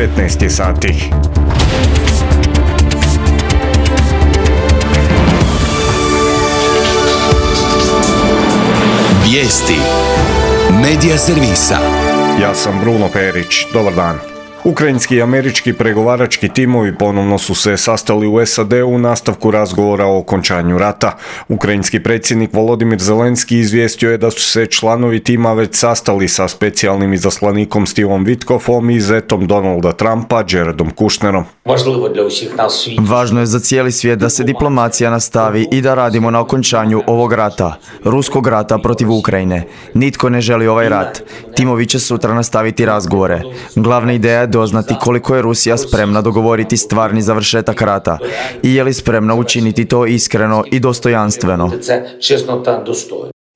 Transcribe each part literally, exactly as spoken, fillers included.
petnaest je sati. Vijesti Medija servisa. Ja sam Bruno Perić. Dobar dan. Ukrajinski i američki pregovarački timovi ponovno su se sastali u S A D u nastavku razgovora o okončanju rata. Ukrajinski predsjednik Volodimir Zelenski izvijestio je da su se članovi tima već sastali sa specijalnim izaslanikom Stevom Witkoffom i zetom Donalda Trumpa, Jaredom Kushnerom. Važno je za cijeli svijet da se diplomacija nastavi i da radimo na okončanju ovog rata, ruskog rata protiv Ukrajine. Nitko ne želi ovaj rat. Timovi će sutra nastaviti razgovore. Glavna ideja je doznati koliko je Rusija spremna dogovoriti stvarni završetak rata i je li spremna učiniti to iskreno i dostojanstveno.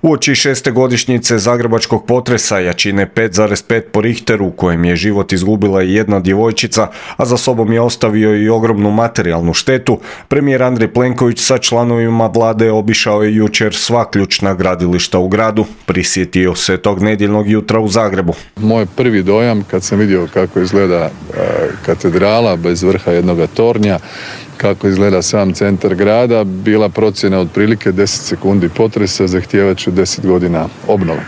Uoči šeste godišnjice zagrebačkog potresa jačine pet zarez pet po Richteru, u kojem je život izgubila i jedna djevojčica, a za sobom je ostavio i ogromnu materijalnu štetu, premijer Andrej Plenković sa članovima vlade obišao je jučer sva ključna gradilišta u gradu. Prisjetio se tog nedjeljnog jutra u Zagrebu. Moj prvi dojam kad sam vidio kako izgleda katedrala bez vrha jednoga tornja, kako izgleda sam centar grada, bila procjena otprilike deset sekundi potresa, zahtijevat će deset godina obnove.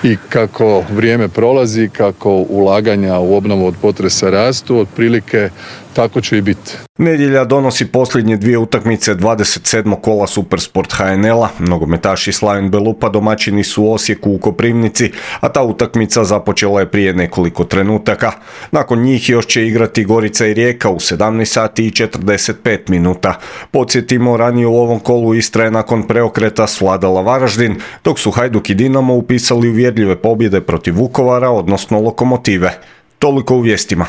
I kako vrijeme prolazi, kako ulaganja u obnovu od potresa rastu, otprilike tako će i biti. Nedjelja donosi posljednje dvije utakmice dvadeset sedmog kola Supersport H N L-a. Nogometaši Slaven Belupa domaćini su u Osijeku u Koprivnici, a ta utakmica započela je prije nekoliko trenutaka. Nakon njih još će igrati Gorica i Rijeka u sedamnaest sati i četrdeset pet minuta. Podsjetimo, ranije u ovom kolu Istra je nakon preokreta svladala Varaždin, dok su Hajduk i Dinamo upisali uvjerljive pobjede protiv Vukovara, odnosno Lokomotive. Toliko u vijestima.